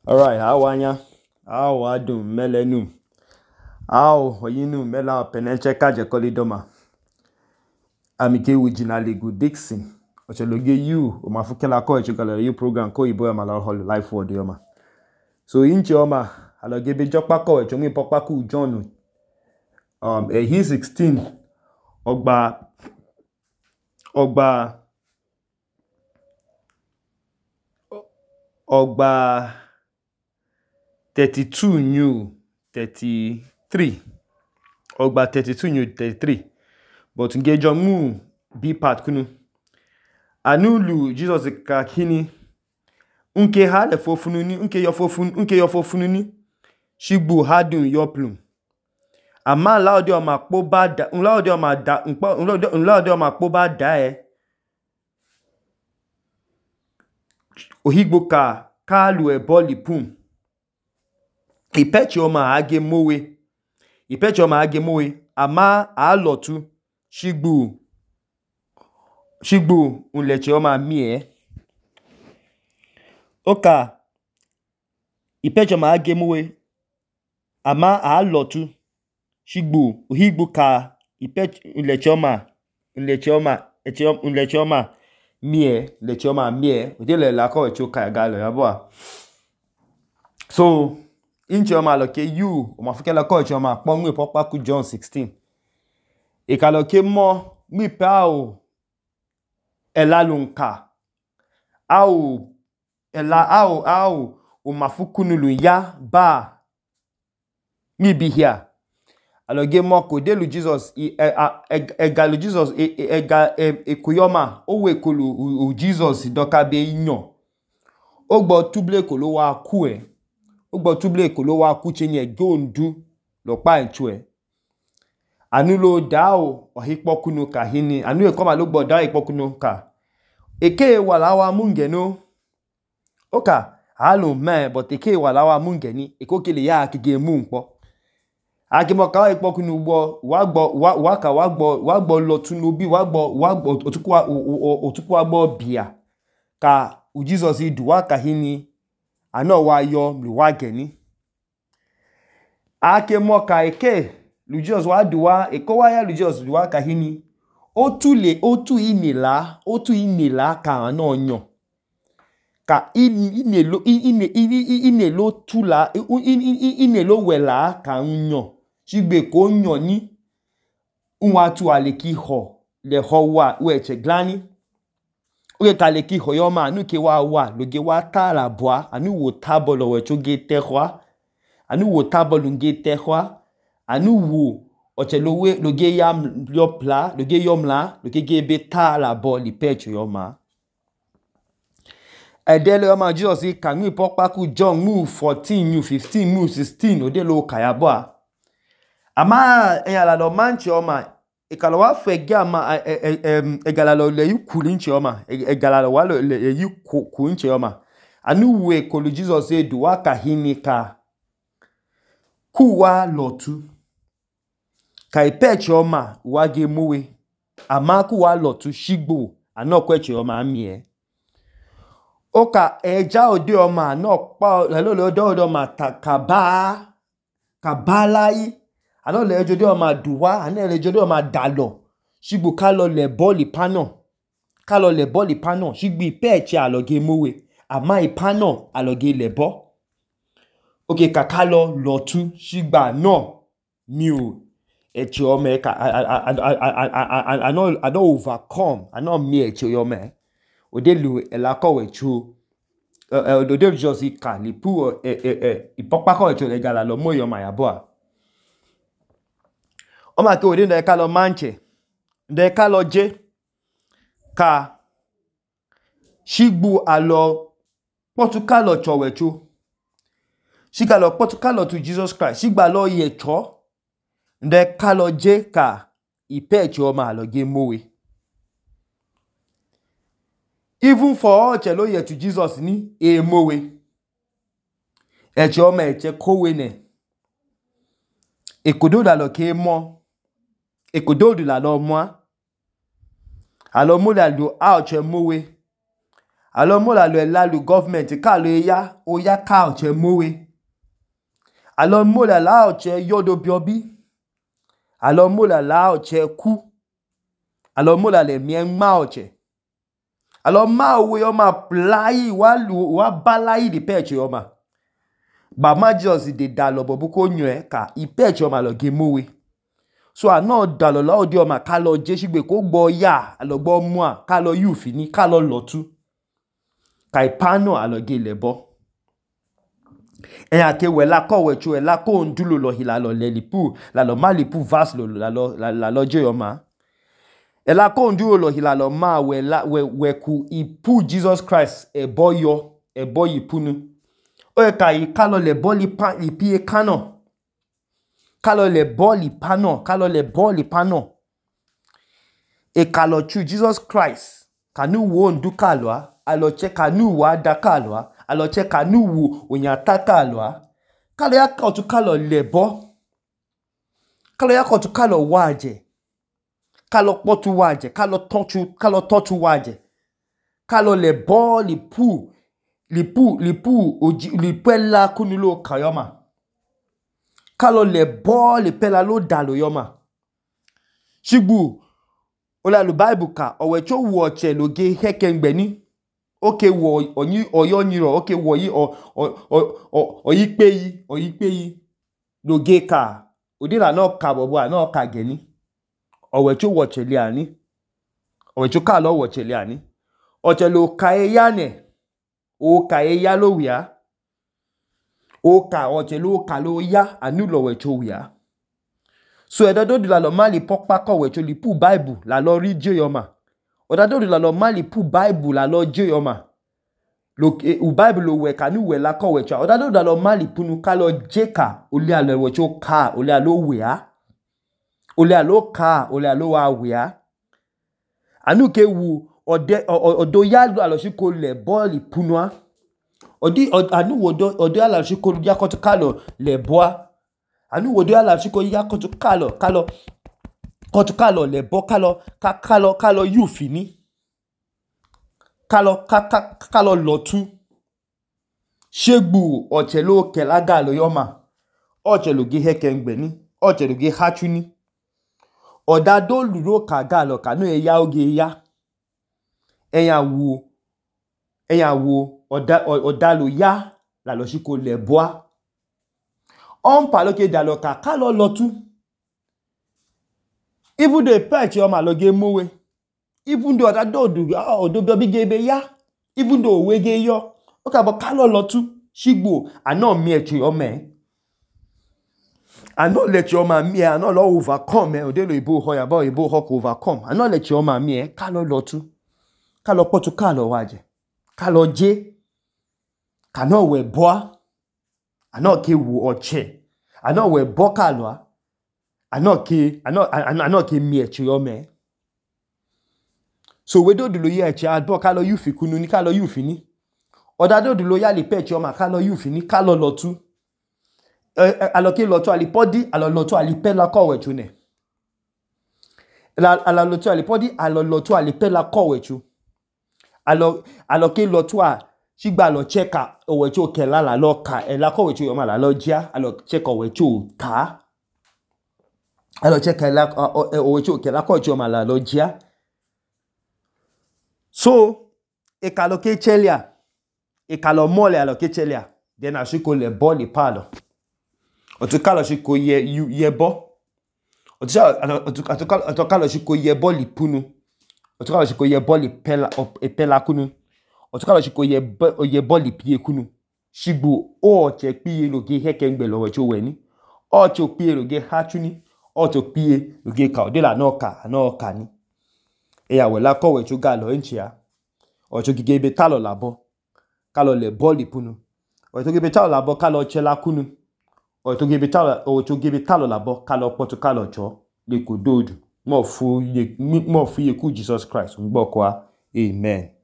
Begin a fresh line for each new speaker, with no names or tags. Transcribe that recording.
Alright, awanya, awadum melenum, oyinum mela peneche kaje kolidoma. Amike wijina legu Dixon. Ocheloge you, omafukela ko echukala you program ko ibo amala hol life word yoma. So inchi oma alogebe jokpa ko echongi pokpa ku John. He 16 Ogba 32 new 33. Ogba 32 new 33. But ngejo mu B part kunu. Anulu Jesus kakini. Unke hale fofununi, unke yo fofununi. Shigbu hadun yoplum. Ama laode o makpo bada, unlaode o makpo bada ohigbo ka lu eboli pum. Ipechi oma age mowe. Ama alotu shigbu unleche oma mie. Oka ipechi oma age mowe. Ama alotu shigbu ohigbo ka ipechi unleche oma mie. Odele lako echoka agalo yabwa. So inchi oma loke you omafukela ko echi oma kpongwe pokpa ku John 16. Ikaloke mo mipe elalunka omafukunulu ya ba mibihia. Aloge mo kodelu Jesus egalu Jesus ekuyoma owe kolu Jesus dokabe inyo. Ogbo tuble kolo wa kue. Ogbo tuble kolo wa kuchenye gondu lokpa enchue. Anulo dao ohikpokunu kahini. Anu ekoma logbo dao ikpokunu ka. Eke walawa mungeno. Oka halo me but eke walawa mungeni. Ekokele ya akige mungpo. Akimoka wa ikpokunu ugbo wagbo lotunubi wagbo otuku wagbo bia. Ka Jesus iduwa kahini. Ano wa yo mluwageni. Ake moka eke Lujos wa duwa ekowa ya Lujos duwa kahini. Otu inela ka ano nyo. Ka inelo tula inelo wela ka nyo. Shigbe ko nyo ni unwatu aleki ho le ho wa weche glani. Oge ka leki ho yoma anu ke wa loge wa ta la bwa anu wo tabolo wecho ge tehwa anu wo tabolo nge tehwa anu wo ochelowe loge yam yopla loge yomla loge gebe ta la bo li pecho yoma. Edele yoma Jesus kangi pokpa ku John mu 14 mu 15 mu 16 odelo kayabwa. Ama enyala lo manchi yoma ikalo wa fege ama egalalo le yukuli nchi yoma egalalo wa le yuku nchi yoma anu we kolu Jesus duwa kahini ka kuwa lotu ka ipechi yoma wage mowe ama kuwa lotu shigbo anokwechi yoma amie. Oka eja ode yoma anokpa lelo ode yoma kabalai ano le jode yoma duwa ano le jode yoma dalo shigbo kalo le boli pano shigbo ipechi aloge mowe ama ipano aloge lebo. Oke kakalo lotu shigba no miu echi yoma ano overcome ano mi echi yoma. Odelu elako wechu odelu Jesus ka lipu ipokpa ko wechu egala lo mo yoma yabwa. Oma ke odelu ekalo manche nde ekalo je ka shigbu alo potukalo chowechu shigalo potukalo to Jesus Christ shigba lo yecho nde ekalo je ka ipechi yoma aloge mowe. Even for all chelo ye to Jesus ni mowe. Eche yoma eche kowe ne. Ekododa lo ke mo. Ekododa lo mo. Alo mo la do a oche mowe. alo mo la lo elalu government ka lo ya oya ka oche mowe alo mo la oche yodo biobi alo mo la oche ku alo mo la le mie ma oche alo ma we yo ma plai wa balai di peche yo ma ba ma Jesus de da lo bobu ko nyu ka I peche yo ma lo ge mowe so ano da lo la odi yo ma ka lo je sigbe ko gbo ya alo gbo mu a ka lo yu fini ka lo lotu ka ipano alo ge lebo eya ke we la ko we chu la ko ndulo lo hila lo le lipu la lo ma lipu vas lo la lo je yo ma ela ko ndulo lo hila lo ma we ku ipu Jesus Christ ebo yipunu o ka I ka lo le boli pa ipie kano ka lo le boli pano ka lo le boli pano e ka lo chu Jesus Christ kanu wo ndu ka lo alo che kanu wa da ka lo alo che kanu wo onyata ka lo ka lo ya ka tu ka lo lebo ka lo ya ka tu ka lo waje ka lo potu waje ka lo totu waje ka lo le boli pu lipela kunulo kayoma ka lo le boli pela lo dalo yoma shigbu ola lu Bible ka owe cho wo che lo ge hekengbe ni oke wo oyo nyiro oke wo yi oyipe lo ge ka odila no ka bobo no ka geni owe cho wo che le ani owe cho ka lo wo che le ani oche lo ka eya ne o ka eya lo wia o ka oche lo ka lo ya anu lo we cho wia so edodo la lo mali pokpa ko we cho li pu Bible la lo ri je yo ma ododo la lo mali pu Bible la lo je yo ma lo u Bible lo we ka nu we la ko we cho ododo la lo mali punu ka lo je ka oli alo we cho ka oli alo wia oli alo ka oli alo wa wia anu ke wu odo ya lo alo si ko le ball punwa anu odo ala si ko ya ko to ka lo le boa anu odo ala si ko ya ko to ka lo le bo ka lo yu fini ka lo lotu shegbu oche lo kelaga lo yoma oche lo ge hekengbe ni oche lo ge hachuni oda do luro ka ga lo ka no eya oge ya eya wo oda lo ya la lo si ko le boa on pa lo ke da lo ka lo lotu even though patch o ma lo ge mowe even though oda do odo bi ge be ya even though we ge yo o ka bo ka lo lotu shigbo ana mi echi o me ano let your man me ano lo overcome o de lo ibo ho ya bo ibo ho ko overcome ano let your man me ka lo lotu ka lo potu ka lo waje ka lo je ka no we boa ano ke wu oche ano we bo ka lo ano ke mi echi o me so we do lo ye echi abo ka lo yu fi kunu ni ka lo yu fi ni oda do lo ya le pechi o ma ka lo yu fi ni ka lo lotu aloke lotu alipodi alolotu alipela ko wechu ne alolotu alipodi alolotu alipela ko wechu aloke lotu a sigba lo cheka owechu kela la lo ka ela ko wechu yo ma la lo jia alo cheka owechu ka alo cheka ela owechu kela ko wechu ma la lo jia so ekaloke chelia ekalo mole aloke chelia then ashiko le boli palo otukalo si ko yebo otukalo si ko yebo lipunu otukalo si ko yebo lipela kunu otukalo si ko yebo lipie kunu shigbo o che pie lo ge hekengbe lo we cho we ni o cho pie lo ge hachuni o cho pie lo ge ka de la no ka ni eya we la ko we cho ga lo enchia o cho gige be talo labo ka lo le boli punu o to ge be talo labo ka lo chela kunu o to ge be talo labo ka lo potu ka lo cho le ko dodu mo fu ye ku Jesus Christ ngbo kwa amen.